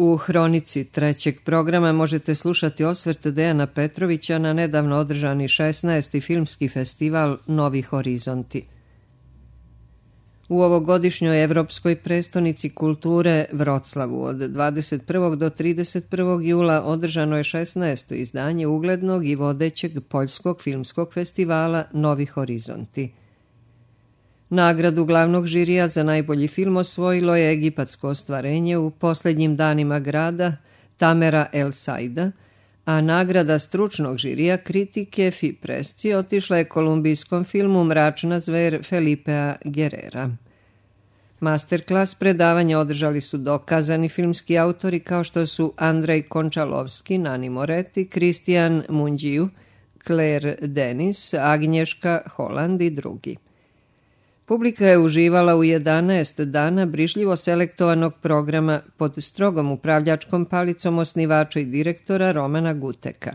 U hronici trećeg programa možete slušati osvrt Dejana Petrovića na nedavno održani 16. filmski festival Novi horizonti. U ovogodišnjoj evropskoj prestonici kulture Vroclavu od 21. do 31. jula održano je 16. izdanje uglednog i vodećeg poljskog filmskog festivala Novi horizonti. Nagradu glavnog žirija za najbolji film osvojilo je egipatsko ostvarenje U posljednjim danima grada Tamera El Saida, a nagrada stručnog žirija kritike Fi Presci otišla je kolumbijskom filmu Mračna zver Felipea Guerrera. Masterclass predavanja održali su dokazani filmski autori kao što su Andrej Končalovski, Nani Moretti, Kristijan Munđiju, Claire Denis, Agnješka Holland i drugi. Publika je uživala u 11 dana brižljivo selektovanog programa pod strogom upravljačkom palicom osnivača i direktora Romana Guteka.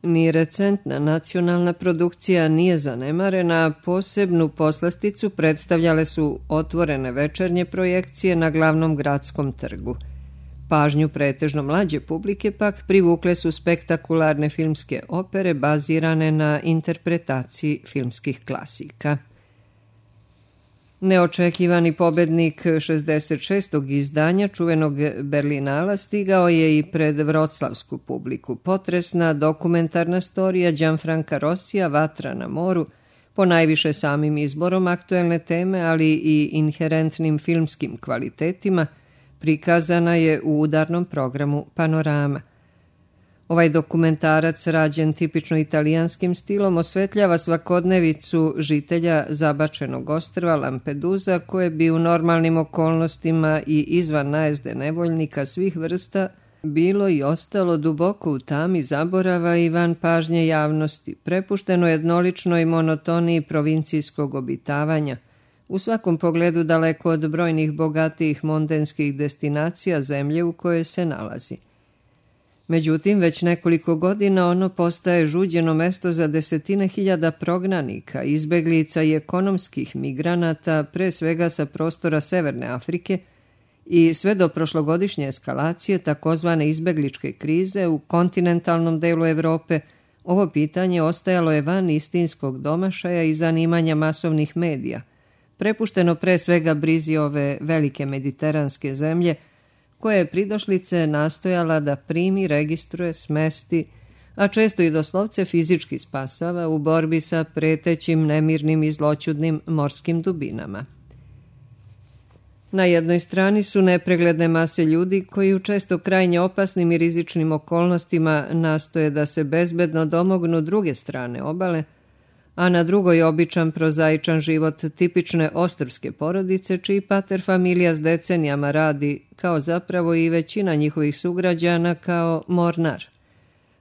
Ni recentna nacionalna produkcija nije zanemarena, a posebnu poslasticu predstavljale su otvorene večernje projekcije na glavnom gradskom trgu. Pažnju pretežno mlađe publike pak privukle su spektakularne filmske opere bazirane na interpretaciji filmskih klasika. Neočekivani pobednik 66. izdanja čuvenog Berlinala stigao je i pred vroclavsku publiku. Potresna dokumentarna storija Gianfranca Rossija Vatra na moru, ponajviše samim izborom aktuelne teme, ali i inherentnim filmskim kvalitetima, prikazana je u udarnom programu Panorama. Ovaj dokumentarac, rađen tipično italijanskim stilom, osvetljava svakodnevicu žitelja zabačenog ostrva Lampedusa, koje bi u normalnim okolnostima i izvan najezde nevoljnika svih vrsta bilo i ostalo duboko u tami zaborava i van pažnje javnosti, prepušteno jednoličnoj monotoniji provincijskog obitavanja, u svakom pogledu daleko od brojnih bogatijih mondenskih destinacija zemlje u kojoj se nalazi. Međutim, već nekoliko godina ono postaje žuđeno mesto za desetine hiljada prognanika, izbeglica i ekonomskih migranata, pre svega sa prostora Severne Afrike, i sve do prošlogodišnje eskalacije takozvane izbegličke krize u kontinentalnom delu Evrope, ovo pitanje ostajalo je van istinskog domašaja i zanimanja masovnih medija, prepušteno pre svega brizi ove velike mediteranske zemlje, koje je pridošlice nastojala da primi, registruje, smesti, a često i doslovce fizički spasava u borbi sa pretećim, nemirnim i zloćudnim morskim dubinama. Na jednoj strani su nepregledne mase ljudi koji u često krajnje opasnim i rizičnim okolnostima nastoje da se bezbedno domognu druge strane obale, a na drugoj običan prozaičan život tipične ostrvske porodice, čiji pater familija s decenijama radi, kao zapravo i većina njihovih sugrađana, kao mornar.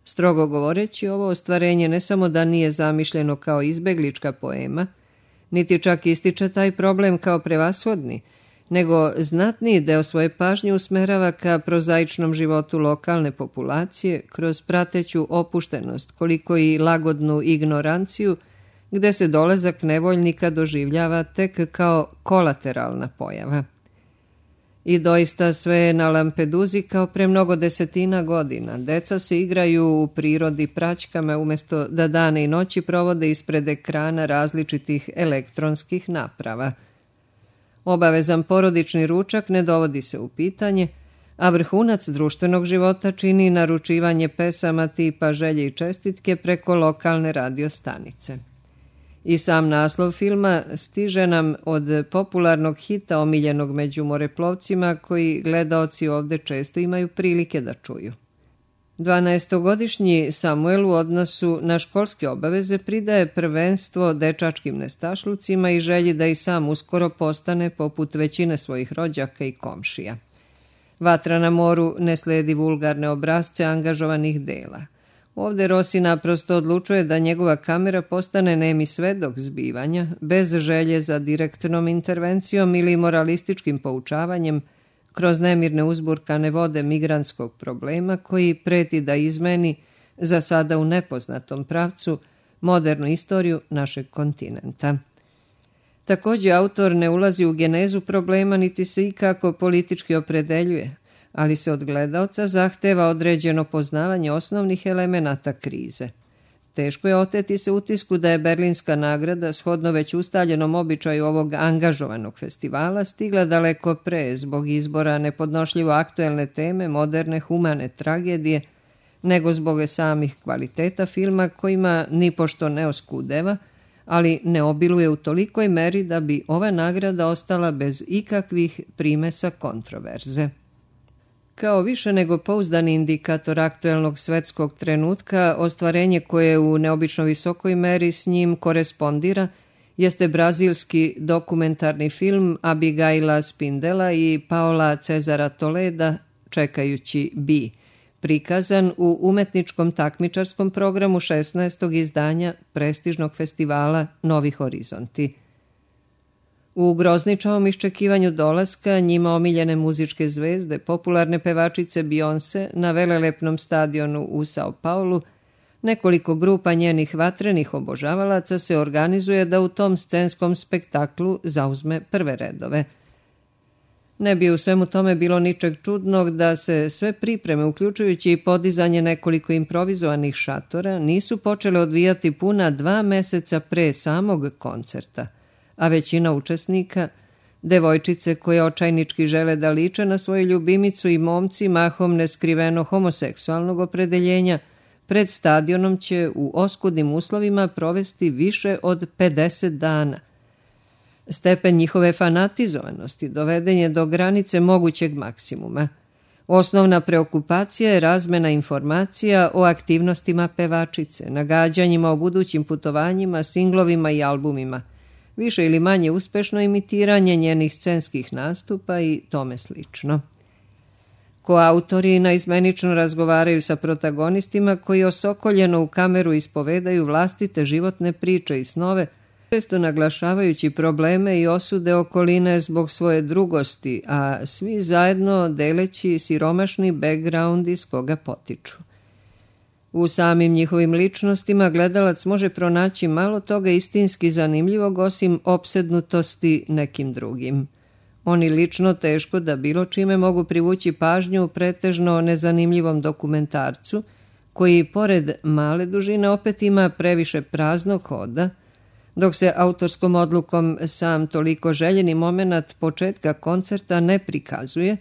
Strogo govoreći, ovo ostvarenje ne samo da nije zamišljeno kao izbeglička poema, niti čak ističe taj problem kao prevashodni, nego znatniji deo svoje pažnje usmerava ka prozaičnom životu lokalne populacije kroz prateću opuštenost, koliko i lagodnu ignoranciju, gde se dolazak nevoljnika doživljava tek kao kolateralna pojava. I doista sve je na Lampeduzi kao pre mnogo desetina godina. Deca se igraju u prirodi praćkama umjesto da dane i noći provode ispred ekrana različitih elektronskih naprava. Obavezan porodični ručak ne dovodi se u pitanje, a vrhunac društvenog života čini naručivanje pesama tipa Želje i čestitke preko lokalne radiostanice. I sam naslov filma stiže nam od popularnog hita omiljenog među moreplovcima koji gledaoci ovde često imaju prilike da čuju. 12-godišnji Samuel u odnosu na školske obaveze pridaje prvenstvo dečačkim nestašlucima i želji da i sam uskoro postane poput većine svojih rođaka i komšija. Vatra na moru ne sledi vulgarne obrazce angažovanih dela. Ovde Rossi naprosto odlučuje da njegova kamera postane nemi svedok zbivanja, bez želje za direktnom intervencijom ili moralističkim poučavanjem, kroz nemirne uzburkane vode migrantskog problema koji preti da izmeni, za sada u nepoznatom pravcu, modernu istoriju našeg kontinenta. Također, autor ne ulazi u genezu problema niti se ikako politički opredeljuje, ali se od gledaoca zahteva određeno poznavanje osnovnih elemenata krize. Teško je oteti se utisku da je Berlinska nagrada, shodno već ustaljenom običaju ovog angažovanog festivala, stigla daleko pre zbog izbora nepodnošljivo aktuelne teme moderne humane tragedije, nego zbog samih kvaliteta filma kojima nipošto ne oskudeva, ali ne obiluje u tolikoj meri da bi ova nagrada ostala bez ikakvih primesa kontroverze. Kao više nego pouzdani indikator aktuelnog svetskog trenutka, ostvarenje koje u neobično visokoj meri s njim korespondira jeste brazilski dokumentarni film Abigaila Spindela i Paola Cezara Toleda Čekajući Bi, prikazan u umetničkom takmičarskom programu 16. izdanja prestižnog festivala Novi horizonti. U grozničavom iščekivanju dolaska njima omiljene muzičke zvezde, popularne pevačice Beyoncé na velelepnom stadionu u Sao Paulu, nekoliko grupa njenih vatrenih obožavalaca se organizuje da u tom scenskom spektaklu zauzme prve redove. Ne bi u svemu tome bilo ničeg čudnog da se sve pripreme, uključujući i podizanje nekoliko improvizovanih šatora, nisu počele odvijati puna 2 meseca pre samog koncerta, a većina učesnika, devojčice koje očajnički žele da liče na svoju ljubimicu i momci mahom neskriveno homoseksualnog opredeljenja, pred stadionom će u oskudnim uslovima provesti više od 50 dana. Stepen njihove fanatizovanosti doveden je do granice mogućeg maksimuma. Osnovna preokupacija je razmena informacija o aktivnostima pevačice, nagađanjima o budućim putovanjima, singlovima i albumima, više ili manje uspešno imitiranje njenih scenskih nastupa i tome slično. Koautori naizmenično razgovaraju sa protagonistima koji osokoljeno u kameru ispovedaju vlastite životne priče i snove, često naglašavajući probleme i osude okoline zbog svoje drugosti, a svi zajedno deleći siromašni background iz koga potiču. U samim njihovim ličnostima gledalac može pronaći malo toga istinski zanimljivog osim opsednutosti nekim drugim. Oni lično teško da bilo čime mogu privući pažnju pretežno nezanimljivom dokumentarcu, koji pored male dužine opet ima previše praznog hoda, dok se autorskom odlukom sam toliko željeni moment početka koncerta ne prikazuje,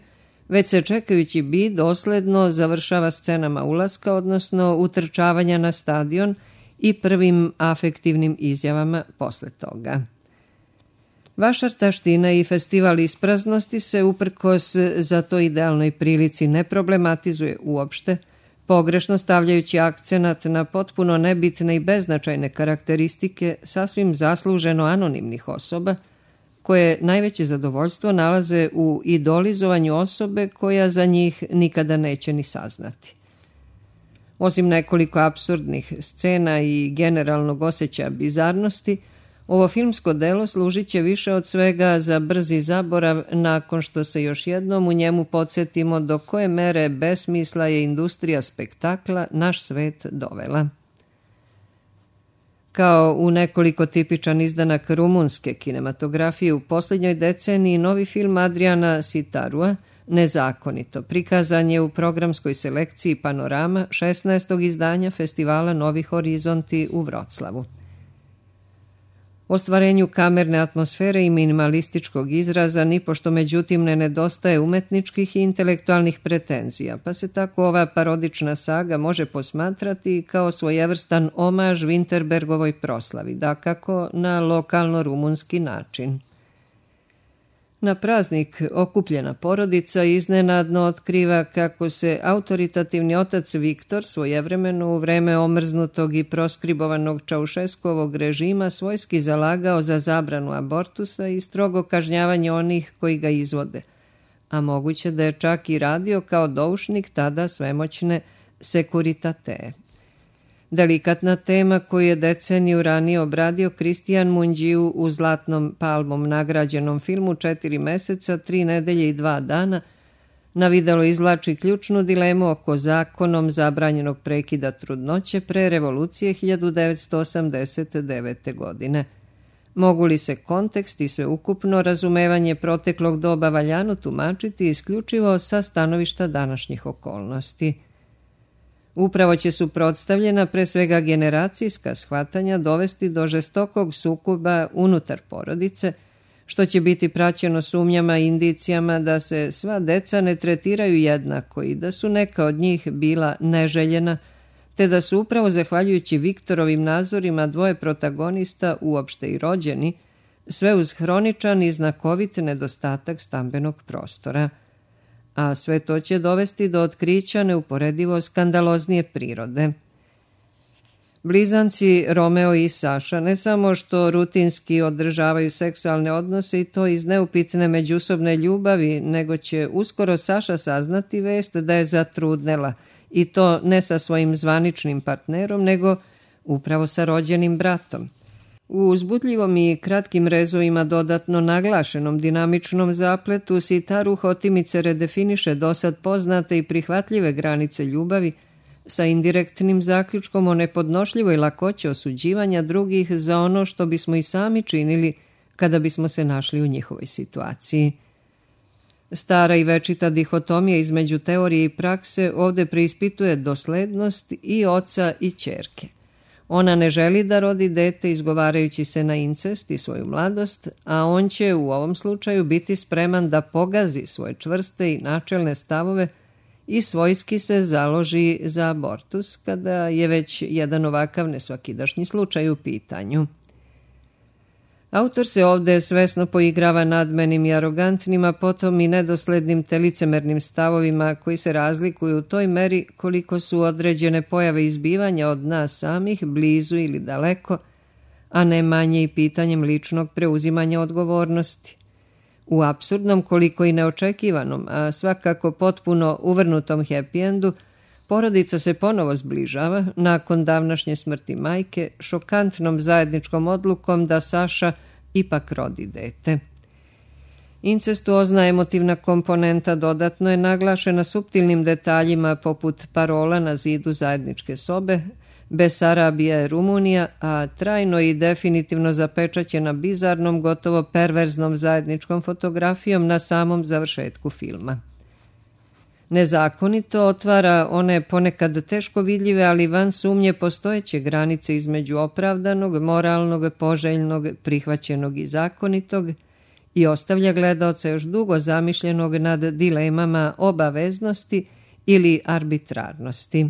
već se čekajući bi dosledno završava scenama ulaska, odnosno utrčavanja na stadion i prvim afektivnim izjavama posle toga. Vašar taština i festival ispraznosti se uprkos za to idealnoj prilici ne problematizuje uopšte, pogrešno stavljajući akcenat na potpuno nebitne i beznačajne karakteristike sasvim zasluženo anonimnih osoba, koje najveće zadovoljstvo nalaze u idolizovanju osobe koja za njih nikada neće ni saznati. Osim nekoliko apsurdnih scena i generalnog osjećaja bizarnosti, ovo filmsko delo služit će više od svega za brzi zaborav nakon što se još jednom u njemu podsjetimo do koje mere besmisla je industrija spektakla naš svet dovela. Kao u nekoliko tipičan izdanak rumunske kinematografije u posljednjoj deceniji, novi film Adriana Sitarua, Nezakonito, prikazan je u programskoj selekciji Panorama 16. izdanja festivala Novi horizonti u Vroclavu. Ostvarenju kamerne atmosfere i minimalističkog izraza nipošto međutim ne nedostaje umetničkih i intelektualnih pretenzija, pa se tako ova parodična saga može posmatrati kao svojevrstan omaž Winterbergovoj proslavi, dakako na lokalno-rumunski način. Na praznik okupljena porodica iznenadno otkriva kako se autoritativni otac Viktor svojevremeno u vreme omrznutog i proskribovanog Čaušeskovog režima svojski zalagao za zabranu abortusa i strogo kažnjavanje onih koji ga izvode, a moguće da je čak i radio kao doušnik tada svemoćne Securitate. Delikatna tema koju je deceniju ranije obradio Kristijan Munđiju u Zlatnom palmom nagrađenom filmu 4 meseca, 3 nedelje i 2 dana, na videlo izvlači ključnu dilemu oko zakonom zabranjenog prekida trudnoće pre revolucije 1989. godine. Mogu li se kontekst i sveukupno razumevanje proteklog doba valjano tumačiti isključivo sa stanovišta današnjih okolnosti? Upravo će suprotstavljena pre svega generacijska shvatanja dovesti do žestokog sukoba unutar porodice, što će biti praćeno sumnjama i indicijama da se sva deca ne tretiraju jednako i da su neka od njih bila neželjena, te da su upravo zahvaljujući Viktorovim nazorima dvoje protagonista uopšte i rođeni, sve uz hroničan i znakovit nedostatak stambenog prostora. A sve to će dovesti do otkrića neuporedivo skandaloznije prirode. Blizanci Romeo i Saša ne samo što rutinski održavaju seksualne odnose i to iz neupitne međusobne ljubavi, nego će uskoro Saša saznati vest da je zatrudnela, i to ne sa svojim zvaničnim partnerom, nego upravo sa rođenim bratom. U uzbudljivom i kratkim rezovima dodatno naglašenom dinamičnom zapletu Sitaru Hotimice redefiniše dosad poznate i prihvatljive granice ljubavi sa indirektnim zaključkom o nepodnošljivoj lakoći osuđivanja drugih za ono što bismo i sami činili kada bismo se našli u njihovoj situaciji. Stara i večita dihotomija između teorije i prakse ovde preispituje doslednost i oca i ćerke. Ona ne želi da rodi dete izgovarajući se na incest i svoju mladost, a on će u ovom slučaju biti spreman da pogazi svoje čvrste i načelne stavove i svojski se založi za abortus kada je već jedan ovakav nesvakidašnji slučaj u pitanju. Autor se ovde svesno poigrava nadmenim i arogantnim, a potom i nedoslednim te licemernim stavovima koji se razlikuju u toj meri koliko su određene pojave izbivanja od nas samih, blizu ili daleko, a ne manje i pitanjem ličnog preuzimanja odgovornosti. U apsurdnom koliko i neočekivanom, a svakako potpuno uvrnutom happy endu, porodica se ponovo zbližava nakon davnašnje smrti majke, šokantnom zajedničkom odlukom da Saša ipak rodi dete. Incestuozna emotivna komponenta dodatno je naglašena suptilnim detaljima poput parola na zidu zajedničke sobe, Besarabija je Rumunija, a trajno i definitivno zapečaćena bizarnom, gotovo perverznom zajedničkom fotografijom na samom završetku filma. Nezakonito otvara one ponekad teško vidljive, ali van sumnje postojeće granice između opravdanog, moralnog, poželjnog, prihvaćenog i zakonitog i ostavlja gledaoca još dugo zamišljenog nad dilemama obaveznosti ili arbitrarnosti.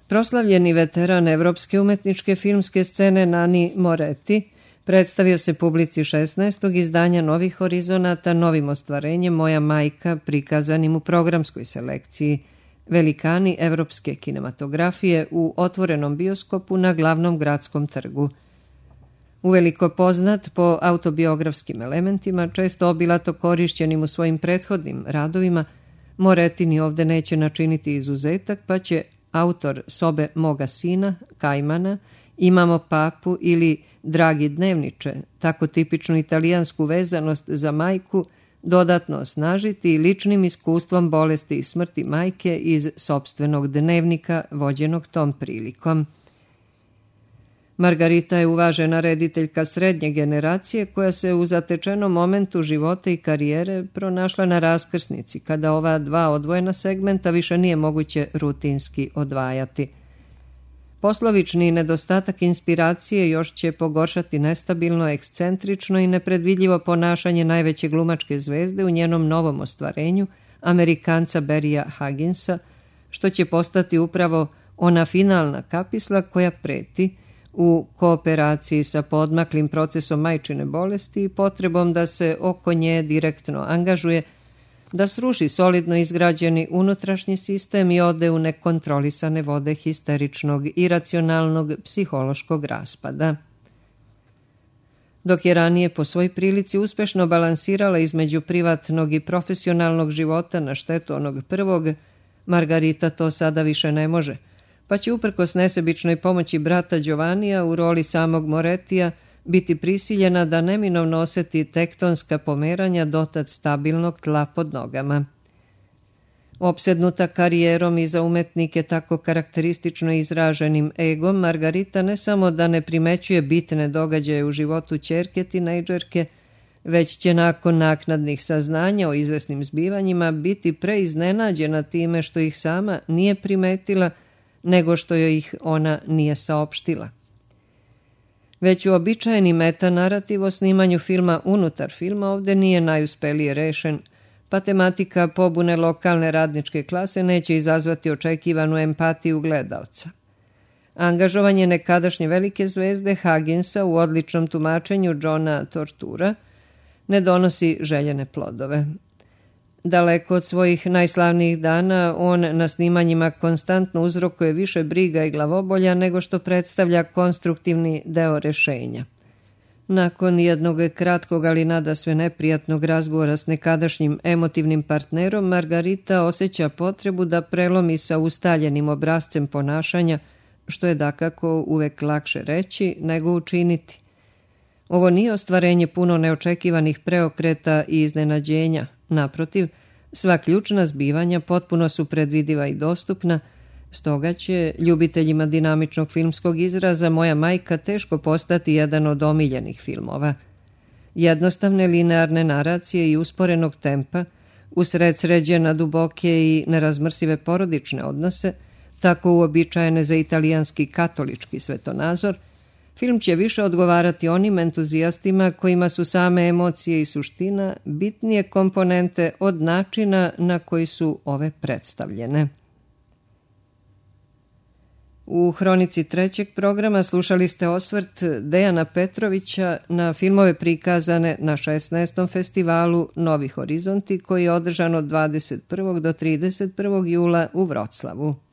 Proslavljeni veteran evropske umetničke filmske scene Nani Moretti predstavio se publici 16. izdanja Novih horizonata novim ostvarenjem Moja majka, prikazanim u programskoj selekciji Velikani evropske kinematografije u otvorenom bioskopu na glavnom gradskom trgu. Uveliko poznat po autobiografskim elementima, često obilato korišćenim u svojim prethodnim radovima, Moretti ni ovde neće načiniti izuzetak, pa će autor Sobe moga sina, Kajmana, Imamo papu ili Dragi dnevniče, tako tipičnu italijansku vezanost za majku, dodatno osnažiti ličnim iskustvom bolesti i smrti majke iz sopstvenog dnevnika vođenog tom prilikom. Margarita je uvažena rediteljka srednje generacije koja se u zatečenom momentu života i karijere pronašla na raskrsnici, kada ova dva odvojena segmenta više nije moguće rutinski odvajati. Poslovični nedostatak inspiracije još će pogoršati nestabilno, ekscentrično i nepredvidljivo ponašanje najveće glumačke zvezde u njenom novom ostvarenju, Amerikanca Barrya Hugginsa, što će postati upravo ona finalna kapisla koja preti, u kooperaciji sa poodmaklim procesom majčine bolesti i potrebom da se oko nje direktno angažuje, da sruši solidno izgrađeni unutrašnji sistem i ode u nekontrolisane vode histeričnog, iracionalnog, psihološkog raspada. Dok je ranije po svoj prilici uspešno balansirala između privatnog i profesionalnog života na štetu onog prvog, Margarita to sada više ne može, pa će uprkos nesebičnoj pomoći brata Giovannija u roli samog Morettija biti prisiljena da neminovno oseti tektonska pomeranja dotad stabilnog tla pod nogama. Opsednuta karijerom i za umetnike tako karakteristično izraženim egom, Margarita ne samo da ne primećuje bitne događaje u životu ćerke tinejdžerke, već će nakon naknadnih saznanja o izvesnim zbivanjima biti preiznenađena time što ih sama nije primetila, nego što joj ih ona nije saopštila. Već uobičajeni metanarativ o snimanju filma unutar filma ovde nije najuspelije rešen, pa tematika pobune lokalne radničke klase neće izazvati očekivanu empatiju gledaoca. Angažovanje nekadašnje velike zvezde Hugginsa u odličnom tumačenju Johna Tortura ne donosi željene plodove. Daleko od svojih najslavnijih dana, on na snimanjima konstantno uzrokuje više briga i glavobolja nego što predstavlja konstruktivni deo rešenja. Nakon jednog kratkog, ali nadasve neprijatnog razgovora s nekadašnjim emotivnim partnerom, Margarita osjeća potrebu da prelomi sa ustaljenim obrascem ponašanja, što je dakako uvek lakše reći nego učiniti. Ovo nije ostvarenje puno neočekivanih preokreta i iznenađenja. Naprotiv, sva ključna zbivanja potpuno su predvidiva i dostupna, stoga će ljubiteljima dinamičnog filmskog izraza Moja majka teško postati jedan od omiljenih filmova. Jednostavne linearne naracije i usporenog tempa, usred sređena duboke i nerazmrsive porodične odnose, tako uobičajene za italijanski katolički svetonazor, film će više odgovarati onim entuzijastima kojima su same emocije i suština bitnije komponente od načina na koji su ove predstavljene. U hronici trećeg programa slušali ste osvrt Dejana Petrovića na filmove prikazane na 16. festivalu Novi horizonti koji je održan od 21. do 31. jula u Vroclavu.